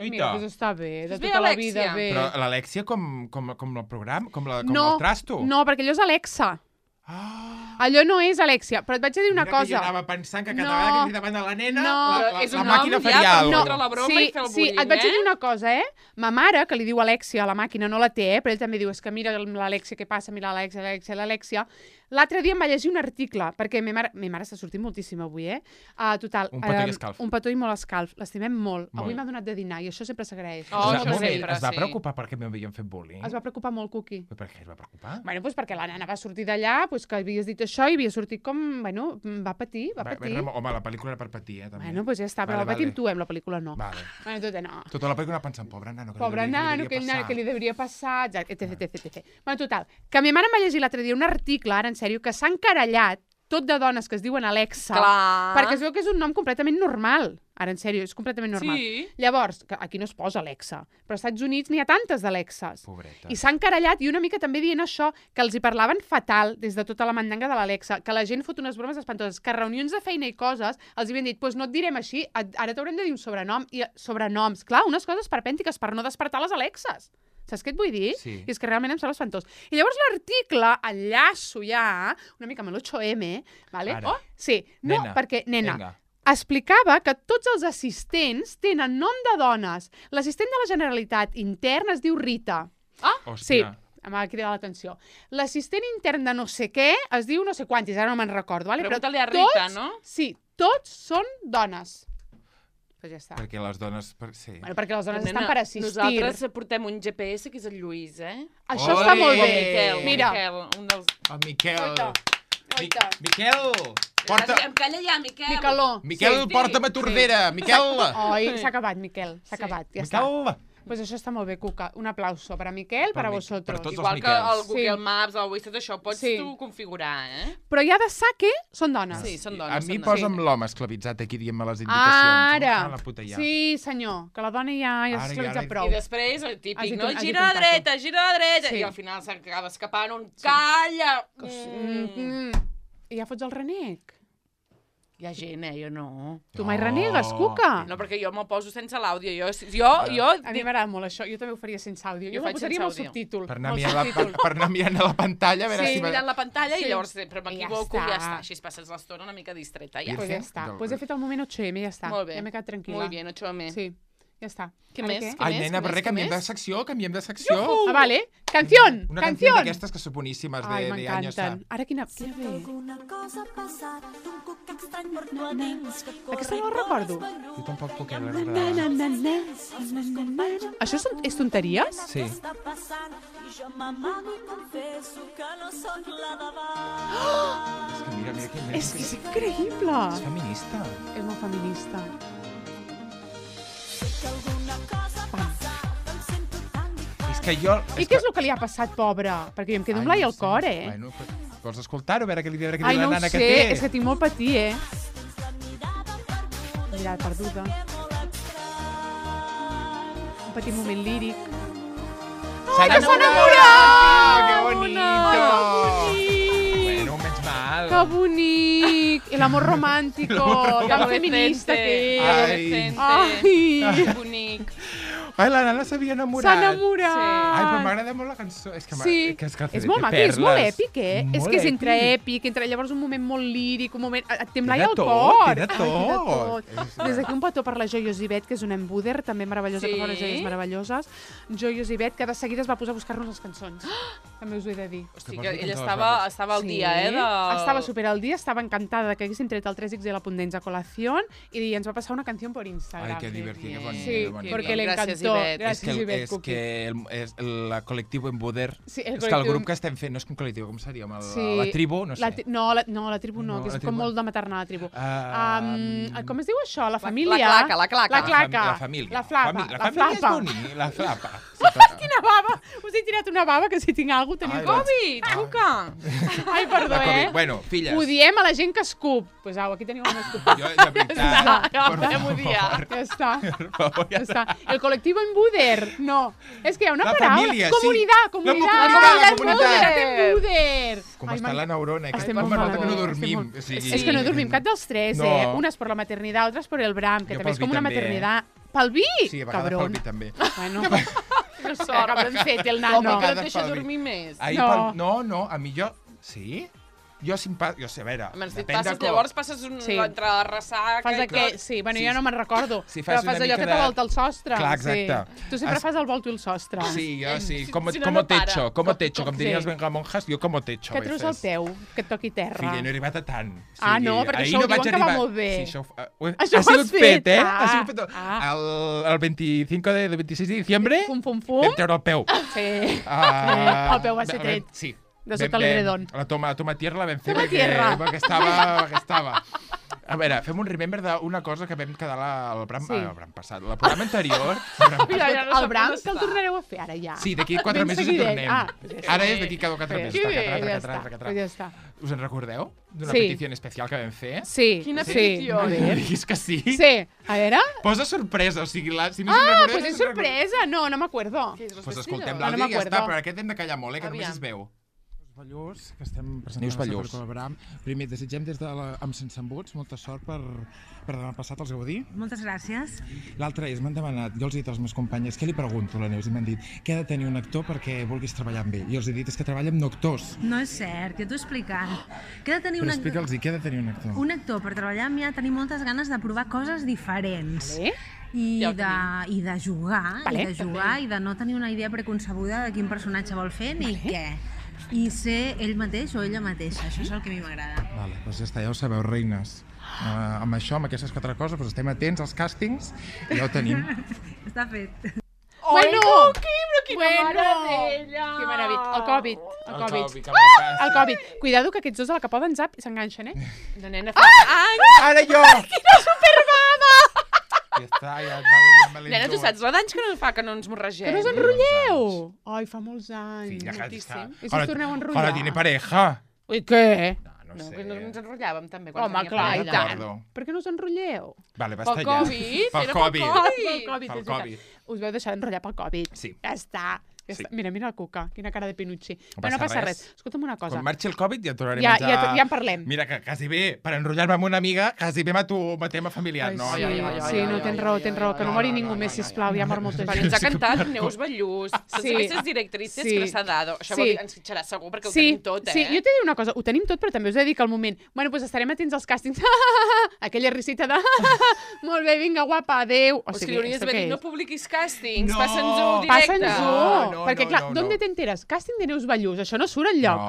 Mira, doncs està bé, de tota la vida bé. Però l'Alexia com el programa? Com el trasto? No, perquè allò és Alexa. Allò no és Alexia, però et vaig dir una cosa. Mira que jo anava pensant que cada vegada que estic davant de la nena, la màquina faria alguna cosa. Sí, et vaig dir una cosa, Ma mare, que li diu Alexia a la màquina, no la té, però ell també diu, és que mira l'Alexia, què passa, mira l'Alexia. L'altre dia em va llegir un article, perquè ma mare està sortint moltíssim avui, Total. Un petó i escalf. Un petó i molt escalf. L'estimem molt. Avui m'ha donat de dinar i això sempre s'agraeix. Es va preocupar perquè m'havien fet bullying? Es va preocupar molt, Cuqui. Per què es va preocupar? Bueno, doncs perquè la nena va sortir d'allà, que havies dit això i havia sortit com... Bueno, va patir. Home, la pel·lícula era per patir, també. Bueno, doncs ja està, però la patim tu, la pel·lícula no. Vale. Bueno, no. Tota la pel·lícula pensant, pobre nano, que li devia passar, etc. Bueno, total, que ma mare em va llegir l'altre dia un article, ara en sèrio, que s'ha encarallat tot de dones que es diuen Alexa, perquè es veu que és un nom completament normal. Ara, en sèrio, és completament normal. Sí. Llavors, aquí no es posa Alexa, però als Estats Units n'hi ha tantes d'Alexes. Pobreta. I s'ha encarallat, i una mica també dient això, que els hi parlaven fatal des de tota la mandanga de l'Alexa, que la gent fot unes bromes espantoses, que a reunions de feina i coses els havien dit, doncs no et direm així, ara t'haurem de dir un sobrenom, i sobrenoms, clar, unes coses perpèntiques per no despertar les Alexes. Saps què et vull dir? Sí. I és que realment em sembla espantós. I llavors l'article, enllaço ja, una mica amb l'8M, vale? Ara. Sí, no, Nena. perquè, nena, Vinga. explicava que tots els assistents tenen nom de dones. L'assistent de la Generalitat intern es diu Rita. Hòstia. Sí, em va cridar l'atenció. L'assistent intern de no sé què es diu no sé quantis, ara no me'n recordo. Vale? Pregunta-li a Rita, no? Sí, tots són dones. Pues ja està. Perquè les dones... Sí. Bueno, perquè les dones estan per assistir. Nosaltres portem un GPS que és el Lluís, Això està molt bé. Miquel, Mira. un dels... El Miquel. Oita. Miquel! Porta... Em calla ja, Miquel. Miquel, porta'm a Tordera. Miquel! Oi, s'ha acabat, Miquel. S'ha acabat, ja està. Miquel! Pues això està molt bé, Cuca. Un aplauso per a Miquel, per a vosotros. Per tots Igual els que el Miquels. Google Maps, el Waze, tot això, pots tu configurar, Però ja de saque són dones. Sí, són dones. A mi posa'm l'home esclavitzat aquí dient-me les indicacions. Ara! La puta ja. Sí, senyor, que la dona ja s'esclavitza prou. I després, el típic, no? Gira a la dreta, i al final s'acaba escapant un calla! I ja fots el renec. Hi ha gent, jo no. Tu mai renegues, Cuca? No, perquè jo me'l poso sense l'àudio. A mi m'agrada molt això. Jo també ho faria sense àudio. Jo me'l posaria amb el subtítol. Per anar mirant a la pantalla. Sí, mirant la pantalla i llavors sempre m'equivoco i ja està. Així passes l'estona una mica distreta. Pues ja està. Pues he fet el moment 8M i ja està. Molt bé. Ja m'he quedat tranquil·la. Molt bé, 8M. Sí. Ja està. Què més? Ai, nena, però canviem de secció. Ah, vale. Canción. Una canció d'aquestes que són boníssimes de años. Ara quina ve? Aquesta no la recordo. Jo tampoc puc agradar. Això és tonteries? Sí. És que és increïble. És feminista. És molt feminista. Que jo... I què és el que li ha passat, pobra? Perquè jo em quedo amb l'ai al cor, Bueno, vols escoltar-ho, a veure què li diu la nana que té? Ai, no ho sé, és que tinc molt patir, Mirada perduda. Un petit moment líric. Ai, que s'ha enamorat! Que bonito! Bueno, menys mal. Que bonic! El amor romántico, tan feminista que és. Ai, bonic. Ai, la nana s'havia enamorat. S'ha enamorat. Ai, però m'agrada molt la cançó. És que és molt maca, és molt èpic, És que és entre èpic, entre llavors un moment molt líric, un moment... Et temblai al cor. Té de tot. Des d'aquí un petó per la Joios Ivet, que és una embuder, també meravellosa, que fa unes joies meravelloses. Joios Ivet, que de seguida es va posar a buscar-nos les cançons. També us ho he de dir. Hosti, que ella estava al dia, Estava super al dia, estava encantada que haguéssim tret el 3X de la Pundenza Colación i ens va passar una canció per Instagram. Ai, que divertit, que bonic. Sí, perquè le encantó. Gràcies, Ivet. És que el col·lectiu Embuder, és que el grup que estem fent no és un col·lectiu, com seria? La tribu? No sé. No, la tribu no, que és com molt de maternar, la tribu. Com es diu això? La família? La claca. La família. La flapa. La família és bonic, la flapa. Quina bava! Us he tirat una bava, que si tinc alguna cosa teniu Covid, Cuca! Ai, perdó, Bueno, filles. Ho diem a la gent que escup. Pues au, aquí teniu una escup. Jo, de veritat, Ja està. El col·lectiu Embuder. No. És que hi ha una paraula. Comunitat. La comunitat. Embuder. Com està la neurona. Que no dormim. És que no dormim cap dels tres, Una és per la maternitat, altra és per el Bram, que també és com una maternitat. Pel vi? Sí, a vegades pel vi també. Bueno, que sort, que ben fet el nano. Home, que no et deixa dormir més. No, a mi jo sé, a veure... Llavors passes entre la ressaca... Fas aquest... Sí, bueno, jo no me'n recordo. Però fas allò que te volta el sostre. Clar, exacte. Tu sempre fas el volto i el sostre. Sí, jo sí. Como techo, com dirien els bengamonjas, jo como techo. Que treus el peu, que et toqui terra. Filla, no he arribat a tant. Ah, no, perquè això ho diuen que va molt bé. Això ho has fet, Ha sigut fet. El 25 de 26 de diciembre vam treure el peu. Sí, el peu va ser tret. Sí. De sota l'edredon. La toma tierra la vam fer perquè estava... A veure, fem un remember d'una cosa que vam quedar al Bram passat. El programa anterior... El Bram que el tornareu a fer ara ja. Sí, d'aquí 4 mesos hi tornem. Ara és d'aquí cada 4 mesos. Ja està. Us en recordeu? D'una petició especial que vam fer? Sí. Quina petició? És que sí. Sí. A veure... Posa sorpresa, o sigui... pues és sorpresa. No m'acuerdo. Pues escoltem l'àudio i ja està, però aquest hem de callar molt, que només es veu. Ballús, que estem presentant per col·laborar. Primer, desitgem des de amb Sense Embuts molta sort per demà passat els Gaudí. Moltes gràcies. L'altre és, m'han demanat, jo els he dit als meus companyes, què li pregunto a la Neus? I m'han dit, què ha de tenir un actor perquè vulguis treballar amb ell? I els he dit, és que treballa amb no actors. No és cert, jo t'ho he explicat. Però explica'ls-hi, què ha de tenir un actor? Un actor, per treballar amb mi, ha de tenir moltes ganes de provar coses diferents. I de jugar, i de no tenir una idea preconcebuda de quin personatge vol fer ni què. I ser ell mateix o ella mateixa. Això és el que a mi m'agrada. Vale, doncs ja està, ja ho sabeu, reines. Amb això, amb aquestes 4 coses, doncs estem atents als càstings i ja ho tenim. Està fet. Bueno, però quina meravella! Que meravella. El Covid. Cuidado que aquests dos a la que poden zap s'enganxen, De nena fa anys! Ara jo! Quina superbava! Ja està, Nena, tu saps la d'anys que no fa que no ens morregem? Que no us enrotlleu! Ai, fa molts anys. Moltíssim. I si us torneu a enrotllar? Ara tiene pareja. I què? No, que no ens enrotllàvem també. Home, clar, i tant. Per què no us enrotlleu? Vale, basta ja. Pel Covid. Us vau deixar d'enrotllar pel Covid. Sí. Ja està. Mira el Cuca, quina cara de Pinucci. Però no passa res. Escolta'm una cosa. Quan marxi el Covid ja tornarem a menjar... Ja en parlem. Mira, que quasi bé, per enrotllar-me amb una amiga, quasi bé mato tema familiar. Sí, no, tens raó, que no mori ningú més, sisplau, ja mor molta gent. Però ens ha cantat Neus Ballús, totes aquestes directrices que s'ha dado. Això vol dir, ens fitxarà segur, perquè ho tenim tot, Sí, jo t'he de dir una cosa, ho tenim tot, però també us he de dir que al moment, bueno, doncs estarem atents als càstings, aquella risita de molt bé, vinga, guapa, adéu. O sigui, hauries d'haver dit, no publiquis càstings, passa'ns-ho directe. Passa'ns-ho, perquè clar, d'on t'enteres? Càsting de Neus Ballús, això no surt enlloc.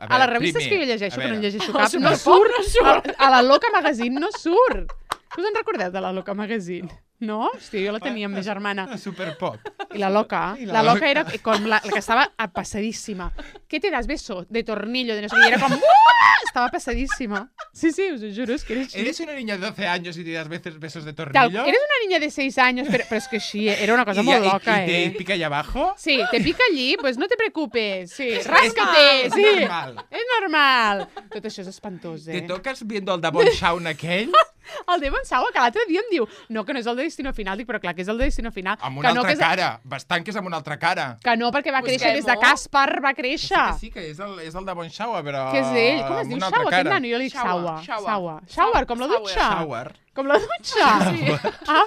A les revistes que jo llegeixo, que no en llegeixo cap, no surt. A la Loca Magazine no surt. Us en recordeu de la Loca Magazine? No? Hòstia, jo la tenia amb ma germana. Superpop. I la Loca era com la que estava passadíssima. ¿Qué te das beso? De tornillo, de no sé qué. Era com... Estava passadísima. Sí, us ho juro, és que era així. ¿Eres una niña de 12 años y te das besos de tornillo? Eres una niña de 6 años, pero es que sí, era una cosa muy loca, ¿Y te pica allá abajo? Sí, te pica allí, pues no te preocupes. Sí, ráscate. Sí, és normal. Tot això és espantós, ¿Te tocas viendo el de Bon Shaun aquell? El de Bon Shaun, que l'altre dia em diu que no és el de Destino Final. Dic, però clar que és el de Destino Final. Amb una altra cara. Bastant que és amb una altra cara. Que no, perquè va créixer des de Caspar, va créixer. Sí, que és el de Bon Shaun, però... Que és ell? Com es diu Shaua? Aquest nano, jo li dic Shaua. Shower, com la dutxa. Com la dutxa.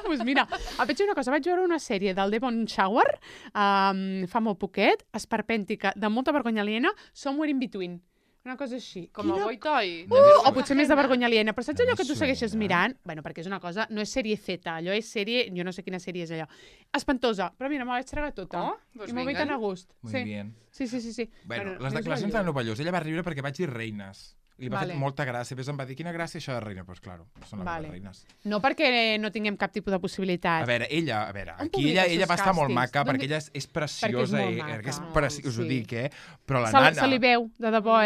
Doncs mira, vaig dir una cosa, vaig veure una sèrie del Devon Shower fa molt poquet, esperpèntica, de molta vergonya aliena, Somewhere in Between. Una cosa així. Com el Boitoi. O potser més de vergonya aliena. Però saps allò que tu segueixes mirant? Bueno, perquè és una cosa... No és sèrie Z, allò és sèrie... Jo no sé quina sèrie és allò. Espantosa. Però mira, me la vaig tragar tota. I m'ho veig tan a gust. Muy bien. Sí. Bueno, les declaracions de Neus Ballús. Ella va riure perquè vaig dir reines. Li va fer molta gràcia. Ves, em va dir, quina gràcia això de reina? Doncs claro, són les reines. No perquè no tinguem cap tipus de possibilitat. A veure, aquí ella va estar molt maca, perquè ella és preciosa. Us ho dic, però la nana... Se li veu, de debò,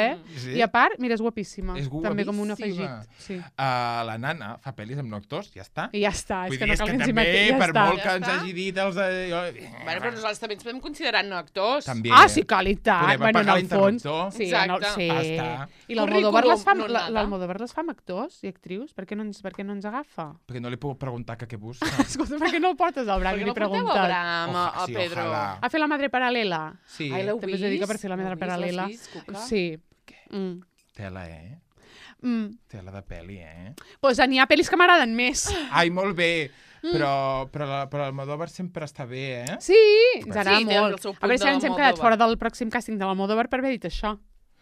I a part, mira, és guapíssima. És guapíssima. També com un afegit. La nana fa pel·lis amb actors, ja està. I ja està, és que no cal que ens hi metem. Per molt que ens hagi dit els... Bueno, però nosaltres també ens podem considerar no actors. Ah, sí, qualitat. Podem apagar l'interruptor. Sí. I l'Almodóvar les fa amb actors i actrius? Per què no ens agafa? Perquè no li puc preguntar què busca. Escolta, per què no el portes al Bram i li preguntes? Per què no porteu a Bram, a Pedro? A fer la madre paral·lela? Sí. Ai, l'heu vist? També us dedica per fer la madre paral·lela. Sí. Tela, Tela de pel·li, Doncs n'hi ha pel·lis que m'agraden més. Ai, molt bé. Però l'Almodóvar sempre està bé, Sí, ens agrada molt. A veure si ens hem quedat fora del pròxim càsting de l'Almodóvar per haver dit això.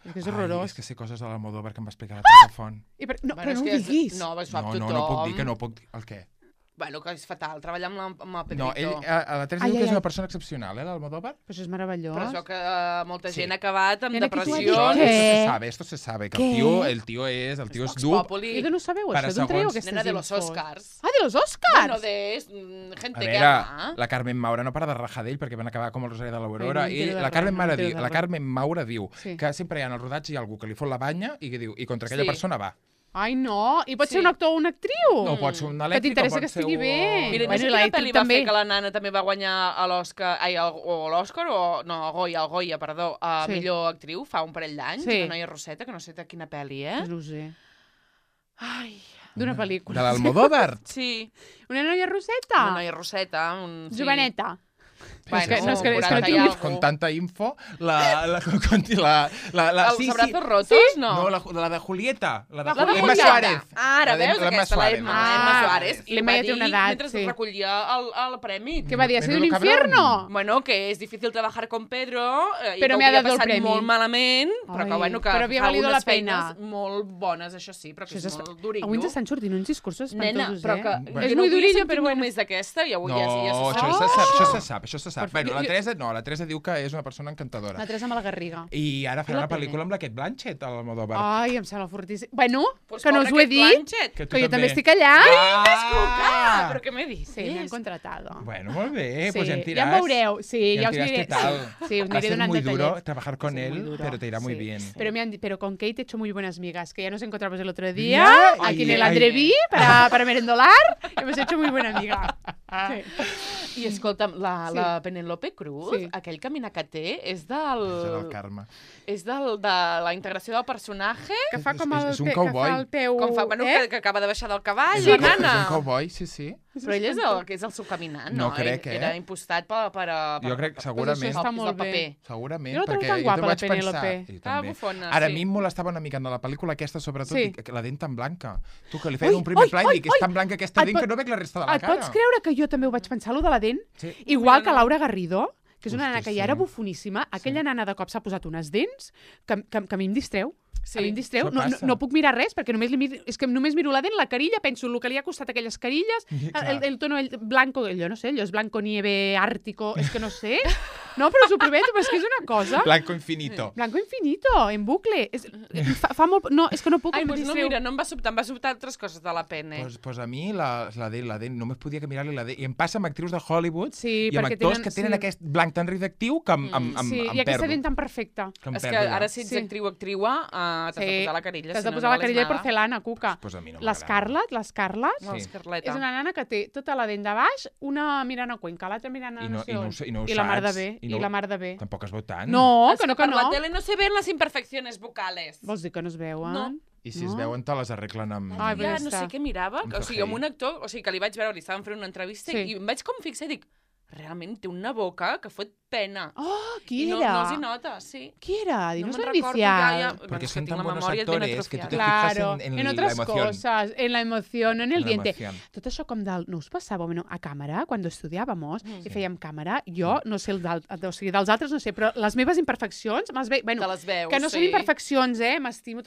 És que és horrorós. És que sé coses de l'Almodóvar que em va explicar la Tata Font. No, però no ho diguis. No, ho sap tothom. No puc dir que no puc dir. El què? Bueno, que és fatal, treballar amb el Pedrito. No, la Teresa diu que és una persona excepcional, l'Almodóvar. Però això és meravellós. Però això que molta gent ha acabat amb depressió. Esto se sabe, que el tío és dur. I que no sabeu això? D'on traieu aquestes infos? Nena de los Oscars. Ah, de los Oscars? Bueno, de gente que ama. La Carmen Maura no para de rajar d'ell perquè van acabar com el Rosari de l'Aurora. La Carmen Maura diu que sempre hi ha en el rodatge hi ha algú que li fot la banya i que diu, i contra aquella persona va. Ai, no! I pot ser un actor o una actriu? No, pot ser un elèctric, que t'interessa que estigui bé. Mira, no sé quina pel·li va fer que la nana també va guanyar l'Òscar, el Goya, perdó, a millor actriu fa un parell d'anys, una noia Roseta, que no sé de quina pel·li, No ho sé. Ai... D'una pel·lícula. De l'Almodóvar? Sí. Una noia Roseta? Una noia Roseta. Joveneta. Bueno, con tanta info, ¿Els abrazos rotos? No. No, la de Julieta. La de Emma Suárez. Ara, veus aquesta, l'Emma Suárez. L'Emma ja té una edat, mentre recollia el premi. Que va dir, ha sido un infierno. Bueno, que és difícil trabajar con Pedro, i que ho havia passat molt malament, però que, bueno, que fa unes feines molt bones, això sí, però que és molt durillo. Avui ens estan sortint uns discursos espantosos, però que és muy durillo, però bueno. Només d'aquesta, i avui ja se sap. Bueno, la Teresa diu que és una persona encantadora. La Teresa Malagarriga. I ara farà una pel·lícula amb la Kate Blanchett, a l'Almodóvar. Ai, em sembla fortíssim. Bueno, que no us ho he dit, que jo també estic allà. Però què me dices? Sí, m'han contratado. Bueno, molt bé, pues ja em diràs. Ja em veureu, ja us diré. Sí, us diré donant detalles. Va ser muy duro trabajar con él, pero te irá muy bien. Pero con Kate he hecho muy buenas migas, que ya nos encontramos el otro día, aquí en el Andreví, para merendolar, hemos hecho muy buena amiga. I escolta'm, la Penélope Cruz, aquell caminar que té, és del... És del Carme. És de la integració del personatge. Que fa com el peu... Com fa, bueno, que acaba de baixar del cavall, la nana. És un cowboy, sí. Però ell és el seu caminant, no? No crec, Era impostat per jo crec, segurament. Això està molt bé. Segurament, jo perquè tan jo guapa, vaig la Penélope. pensar... Bufona, Ara a mi em molestava una mica en la pel·lícula aquesta, sobretot, la dent tan blanca. Tu, que li feien un primer pla i dic, és tan blanca aquesta dent que no veig la resta de la cara. Et pots creure que jo també ho vaig pensar, allò de la dent? Igual que Laura Garrido, que és una nana que ja era bufoníssima, aquella nana de cop s'ha posat unes dents que a mi em distreu. A mi em distreu. No puc mirar res, perquè només miro la dent, la carilla, penso el que li ha costat aquelles carilles, el tono blanco, allò no sé, allò és blanco nieve ártico, és que no sé. No, però s'ho prometo, però és que és una cosa... Blanco infinito. Blanco infinito, en bucle. Fa molt... No, és que no puc... Ai, doncs no, mira, no em va sobtar, em va sobtar altres coses de la Pene. Pues a mi la dent, només podia que mirar-li la dent. I em passa amb actrius de Hollywood i amb actors que tenen aquest blanc tan redactiu que em perdo. Sí, i aquesta dent tan perfecta. És que ara si ets actriu o actriua, t'has de posar la carilla. T'has de posar la carilla de porcelana, Cuca. L'Scarlett és una nana que té tota la dent de baix, una mirant a Cuenca, l'altra mirant a no sé on. I la mar de bé. Tampoc es veu tant. No, que no. Per la tele no se ven les imperfecciones vocales. Vols dir que no es veuen? No. I si es veuen, te les arreglen amb... Ja no sé què mirava, o sigui, amb un actor, o sigui, que li vaig veure, li estaven fent una entrevista i em vaig com fixar i dic, realment té una boca que fot pena. Oh, qui era? No els hi nota, sí. Qui era? Dinos no inicial. Porque son tan buenos actores que tu te fijas en otras la emoción. Cosas, en la emoción, no en el diente. Tot això com no us passava? Bueno, a càmera, quan estudiàvamos i fèiem càmera, jo no sé, o sigui, dels altres no sé, però les meves imperfeccions, te les veus, que no són imperfeccions, m'estimo,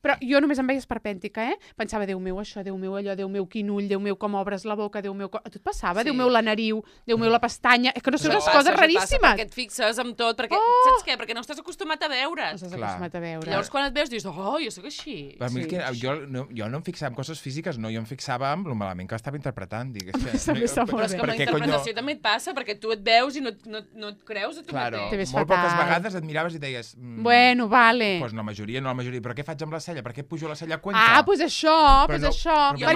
però jo només em veia esperpèntica, Pensava, Déu meu, això, Déu meu, allò, Déu meu, quin ull, Déu meu, com obres la boca, Déu meu... A tu et passava? Déu meu, la nariu, Déu meu, la pestanya... És que no sé, unes coses raríssimes. Perquè et fixes amb tot, perquè, saps què? Perquè no estàs acostumat a veure's. No estàs acostumat a veure. Llavors, quan et veus, dius, oh, jo soc així. Per mi jo no em fixava en coses físiques, no, jo em fixava en el malament que estava interpretant. Però és que amb la interpretació també et passa, perquè tu et veus i no et creus a tu mateix. Molt poques vegades et miraves i deies... Bueno, vale. Doncs la majoria, però què faig amb la cella? Per què pujo la cella a Cuenca? Ah, doncs això. Per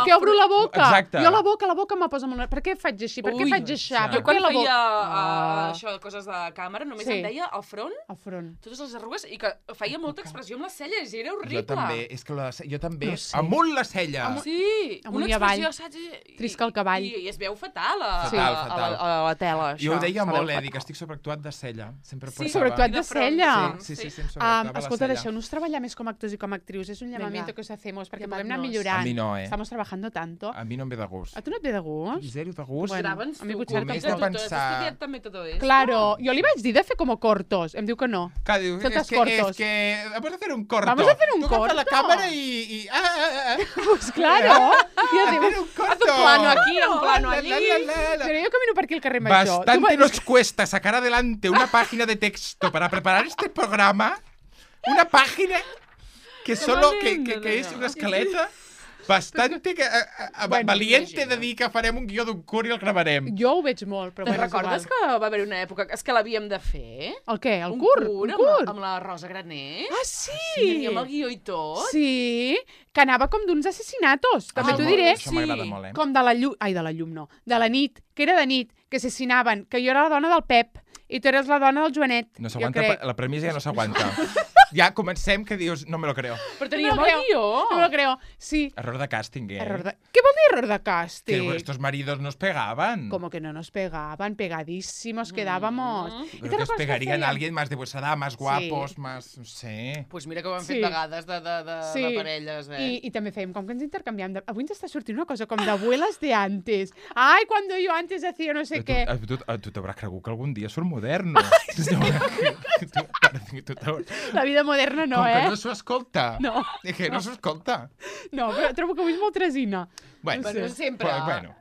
què obro la boca? Exacte. Jo la boca me posa molt... Per què faig així? Per què faig això? Jo quan feia això, coses de càmera, només em deia al front, totes les arrugues, i que feia molta expressió amb les celles, i era horrible. Jo també, amunt la cella. Sí, una expressió, saps? Trisca el cavall. I es veu fatal a la tela, això. Jo ho deia molt, dic, estic sobreactuat de cella. Sí, sobreactuat de cella. Sí, sempre sobreactuava la cella. Escolta, deixeu-nos treballar més com actors i com actrius, és un llamamiento que os hacemos, perquè podem anar millorant. A mi no, Estamos trabajando tanto. A mi no em ve de gust. A tu no et ve de gust? Zero de gust. Grava'ns tu, només de pensar... Claro, jo li vaig dir de fer com cortos. Em diu que no. Clar, diu, és que vamos a hacer un corto. Vamos a hacer un corto. Tu agafes la càmera i... Pues claro. Hacer un corto. Haz un plano aquí, un plano allí. Pero yo camino por aquí el carrer Major. Bastante nos cuesta sacar adelante una página de texto para preparar este programa. Una página que solo que es una escaleta. Bastante valiente de dir que farem un guió d'un curt i el gravarem. Jo ho veig molt, però bueno, recordes que va haver una època és que l'havíem de fer? El què? El curt? Un curt? Amb la Rosa Graner. Ah, sí? Sí, amb el guió i tot. Sí, que anava com d'uns assassinatos. També t'ho diré. Això m'agrada molt, Com de la llum... Ai, de la llum no. De la nit, que era de nit, que assassinaven, que jo era la dona del Pep i tu eres la dona del Joanet. No s'aguanta, la premissa ja no s'aguanta. Ja comencem que dius, no me lo creo. Però teníem el guió. No me lo creo, sí. Error de càsting, ¿Qué vol dir error de casting? Que estos maridos nos pegaban. Como que no nos pegaban, pegadísimos quedábamos. Pero que os pegarían a alguien más de vuestra edad, más guapos, más... no sé. Pues mira que ho hem fet vegades de parelles, I també fèiem com que ens intercanviam. Avui ens està sortint una cosa com d'abuelas de antes. Ai, cuando yo antes hacía no sé què. Tu t'hauràs cregut que algun dia surt moderno. La vida moderna no, Com que no s'ho escolta. No. Que no s'ho escolta. No, però trobo que avui és molt tresina. Bueno, sempre.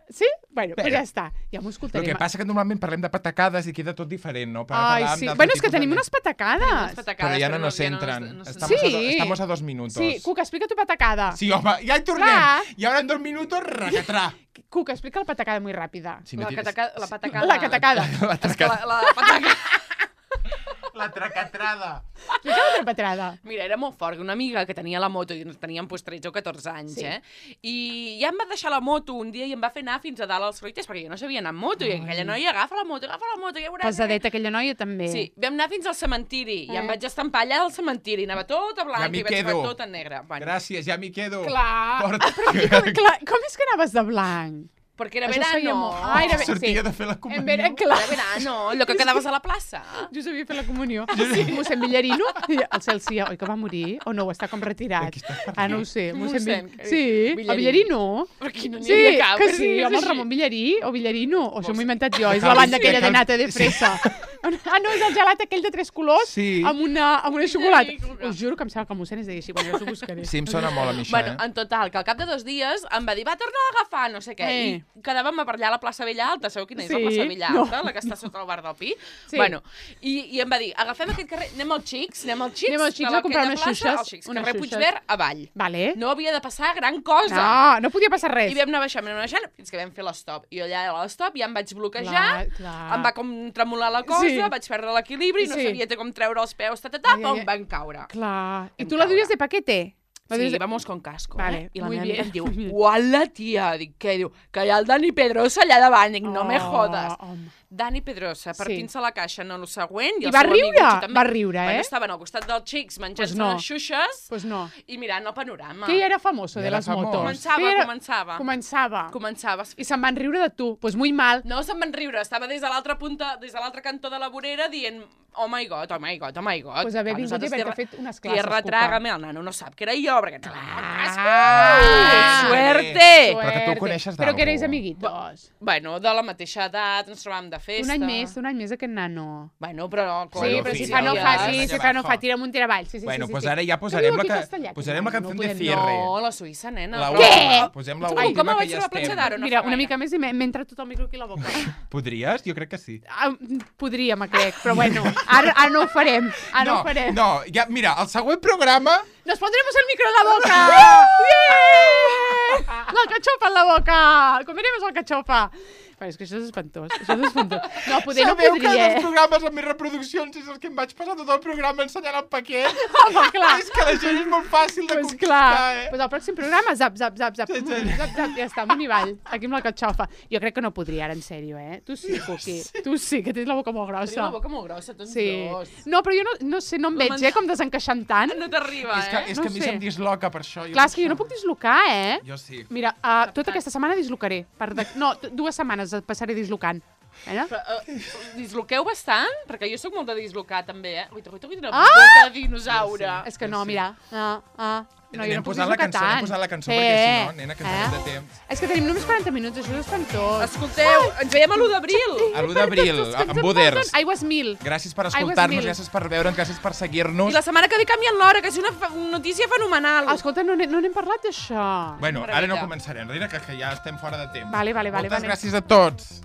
Sí? Bueno, però ja està. Ja m'ho escoltarem. El que passa que normalment parlem de patacades i queda tot diferent, no? Ai, sí. Bueno, és que tenim unes patacades. Però ja no nos entran. Estamos a 2 minutos. Sí, Cuca, explica tu patacada. Sí, home, ja hi tornem. I ara en 2 minutos, racatrà. Cuca, explica la patacada muy rápida. La patacada. La catacada. La patacada. La tracatrada. Explica la tracatrada. Mira, era molt fort, una amiga que tenia la moto, i teníem 13 o 14 anys, I ja em va deixar la moto un dia i em va fer anar fins a dalt als fruiters, perquè jo no sabia anar amb moto, i aquella noia agafa la moto, ja veuràs. Pesadeta, aquella noia també. Sí, vam anar fins al cementiri, i em vaig estampar allà al cementiri, anava tota blanca i vaig fer tot en negre. Gràcies, ja m'hi quedo. Clar, com és que anaves de blanc? Perquè era verano. Sortia de fer la comunió. Era verano, allò que quedaves a la plaça. Jo sabia fer la comunió. Mossèn Villarino, el Celsia, oi que va morir? O no, està com retirat? No ho sé. Sí, a Villarino. Però aquí no n'hi havia cap. Que sí, home, el Ramon Villarí, o Villarino, o això m'ho he inventat jo, és la banda aquella de nata de fresa. No, és el gelat aquell de 3 colors amb una xocolata. Us juro que em sembla que el mossèn es deia així, bueno, jo s'ho buscaré. Sí, em sona molt a mi això, Bueno, en total, que al cap de 2 dies em va dir, va, torna a agafar, no sé què, i quedàvem a per allà a la plaça Vella Alta, sabeu quina és la plaça Vella Alta, la que està sota el bar del Pi? Bueno, i em va dir, agafem aquest carrer, anem al Xics a comprar unes xuixes, carrer Puigverd avall. Vale. No havia de passar gran cosa. No podia passar res. I vam anar baixant, fins que vam fer l'estop. I allà a l'estop ja em vaig bloquejar, em va com tremolar la cosa, vaig perdre l'equilibri, no sabia com treure els peus, pum, van caure. Clar. I tu la duies de paquete? Sí, vamos con casco. Vale, I la meva amiga em diu, uala, tia. Dic, què? Diu, que hi ha el Dani Pedrosa allà davant. Dic, no me jodes. Dani Pedrosa, partint-se la caixa en el següent. I va riure? Va riure, Bueno, estaven al costat dels xics menjant-se les xuixes i mirant el panorama. Que ja era famoso de les motos. Començava. I se'n van riure de tu. Pues muy mal. No se'n van riure. Estava des de l'altra punta, des de l'altre cantó de la vorera dient oh my god, oh my god, oh my god. Pues haver vingut i haver-te fet unes classes. Tierra, trágame, el nano no sap que era jo, perquè... Suerte! Però que tu el coneixes d'algú. Però que eres amiguitos. Bueno, de la mateixa edat, ens trobàvem de festa. Un any més aquest nano. Bueno, però... Sí, però si fa no fa, tira'm un tiravall. Bueno, doncs ara ja posarem la cançó de cierre. No, la Suïssa, nena. Què? Posem l'última que ja estem. Mira, una mica més i m'he entrat tot el micro aquí a la boca. Podries? Jo crec que sí. Podríem, crec, però bueno, ara no ho farem. No, ja, mira, el següent programa... ¡Nos pondremos el micro en la boca! ¡Bien! ¡La cachofa en la boca! ¡Comeremos la cachofa! Però és que això és espantós. No, poder no podria. Sabeu que els programes amb més reproduccions és els que em vaig passar tot el programa ensenyant el paquet? Home, clar. És que la gent és molt fàcil de conquistar, Pues el pròxim programa, zap. Ja està, amunt i avall, aquí amb la catxofa. Jo crec que no podria, ara, en sèrio, Tu sí, Cuqui. Tu sí, que tens la boca molt grossa. Tens la boca molt grossa, tots dos. No, però jo no sé, no em veig, com desencaixant tant. No t'arriba, És que a mi se'm disloca per això. Clar, és que jo no puc dislocar, Jo sí. Mira, tota aquesta setmana dislocaré. No, 2 setmanes passaré dislocant. Disloqueu bastant? Perquè jo sóc molt de dislocar, també, Uita, quina boca de dinosaure. És que no, mira. No, anem posant la cançó, perquè si no, nena, que ens anem de temps. És que tenim només 40 minuts, això és espantós. Escolteu, ens veiem a l'1 d'abril. A l'1 d'abril, amb Buders. Aigües 1000. Gràcies per escoltar-nos, gràcies per veure'ns, gràcies per seguir-nos. I la setmana que ve canvien l'hora, que és una notícia fenomenal. Escolta, no n'hem parlat d'això. Bueno, ara no començarem, Rina, que ja estem fora de temps. Vale. Moltes gràcies a tots.